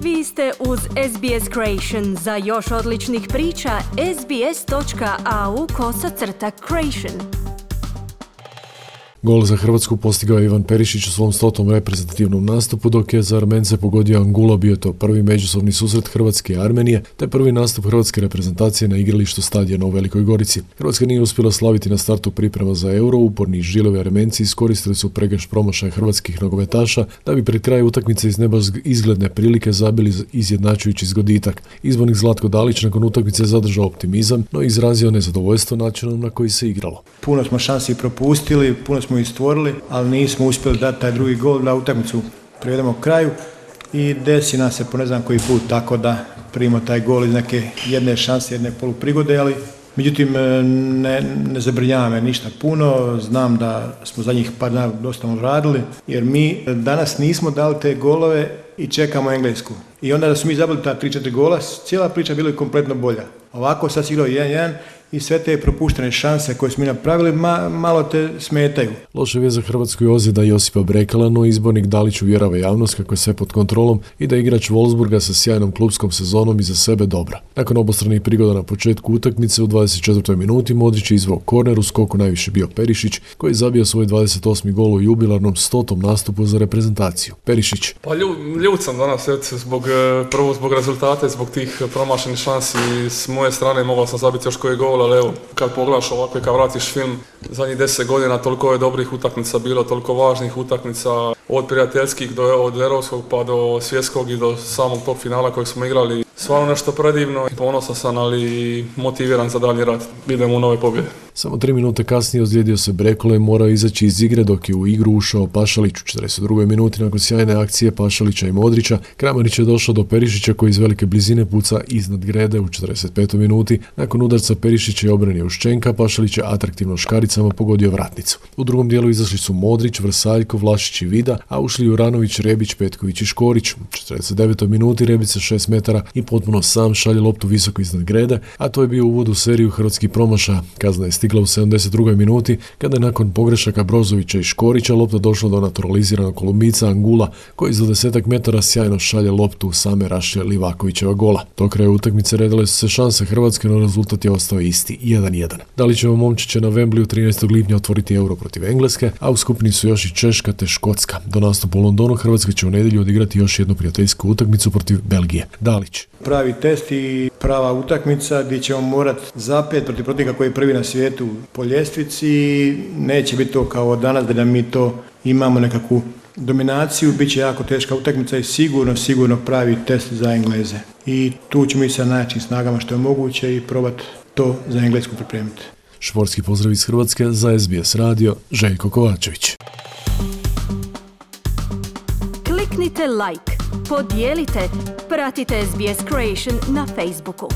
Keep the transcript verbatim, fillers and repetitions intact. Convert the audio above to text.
Vi ste uz S B S Creation. Za još odličnih priča, sbs.au kosacrta creation. Gol za Hrvatsku postigao je Ivan Perišić u svom stotom reprezentativnom nastupu, dok je za Armence pogodio Angula. Bio to prvi međusobni susret Hrvatske i Armenije, te prvi nastup hrvatske reprezentacije na igralištu stadiona u Velikoj Gorici. Hrvatska nije uspjela slaviti na startu priprema za Euro. Uporni žilevi Armenci iskoristili su pregrš promašaja hrvatskih nogometaša da bi pred kraj utakmice iz neba izgledne prilike zabili izjednačujući zgoditak. Izbornik Zlatko Dalić nakon utakmice zadržao optimizam, no izrazio nezadovoljstvo načinom na koji se igralo. Puno smo šansi propustili, puno smo ih stvorili, ali nismo uspjeli dati taj drugi gol da utakmicu privedemo kraju i desi nam se po ne znam koji put tako da primimo taj gol iz neke jedne šanse, jedne poluprigode, ali međutim ne, ne zabrinjava me ništa puno. Znam da smo zadnjih par dana dosta radili, jer mi danas nismo dali te golove i čekamo Englesku. I onda da su mi zabili ta tri četiri gola, cijela priča bila je kompletno bolja. Ovako sad se igrao jedan jedan i sve te propuštene šanse koje smo mi napravili ma, malo te smetaju. Loša vijest za Hrvatsku je ozljeda Josipa Brekala, no izbornik Dalić uvjerava javnost kako je sve pod kontrolom i da je igrač Wolfsburga sa sjajnom klupskom sezonom iza sebe dobra. Nakon obostranih prigoda na početku utakmice u dvadeset četvrtoj minuti Modrić je izveo korner, u skoku najviše bio Perišić, koji je zabio svoj dvadeset osmi gol u jubilarnom stotom nastupu za reprezentaciju. Perišić. Pa ljut sam danas, zbog, prvo zbog rezultata i zbog tih promašenih šansi s moje strane. Mogao sam zabiti još koji gol, ali evo, kad pogledaš ovako i kad vratiš film, zadnjih deset godina toliko je dobrih utakmica bilo, toliko važnih utakmica, od prijateljskih do od europskog pa do svjetskog i do samog tog finala kojeg smo igrali. Stvarno nešto predivno i ponosan sam, ali motiviran za dalji rad. Idemo u nove pobjede. Samo tri minute kasnije ozlijedio se Brekalo i morao izaći iz igre, dok je u igru ušao Pašalić u četrdeset drugoj minuti nakon sjajne akcije Pašalića i Modrića. Kramarić je došao do Perišića koji iz velike blizine puca iznad grede u četrdeset petoj minuti. Nakon udarca Perišića i obrane Uščenka, Pašalić je atraktivno škaricama pogodio vratnicu. U drugom dijelu izašli su Modrić, Vrsaljko, Vlašić i Vida, a ušli Juranović, Rebić, Petković i Škorić. U četrdeset devetoj minuti Rebić sa šest metara i potpuno sam šalje loptu visoko iznad grede, a to je bio uvod u seriju hrvatskih promašaja. Kazna je stigla u sedamdeset drugoj minuti kada je nakon pogrešaka Brozovića i Škorića lopta došla do naturaliziranog Kolumbica Angula, koji za desetak metara sjajno šalje loptu u same rašlje Livakovićeva gola. Do kraja utakmice redale su se šanse Hrvatske, no rezultat je ostao isti, jedan jedan. Dalićevo momčiće će na Wembleyu trinaestog lipnja otvoriti Euro protiv Engleske, a u skupini su još i Češka te Škotska. Do nastupa u Londonu Hrvatska će u nedjelju odigrati još jednu prijateljsku utakmicu protiv Belgije. Dalić. Pravi test i prava utakmica gdje ćemo morati zapet protiv protivnika koji je prvi na svijetu po ljestvici. Neće biti to kao danas da mi to imamo nekakvu dominaciju. Biće jako teška utakmica i sigurno, sigurno pravi test za Engleze. I tu ćemo i sa najjačim snagama što je moguće i probati to za Englesku pripremiti. Športski pozdrav iz Hrvatske za S B S radio, Željko Kovačević. Kliknite like, podijelite, pratite S B S Creation na Facebooku.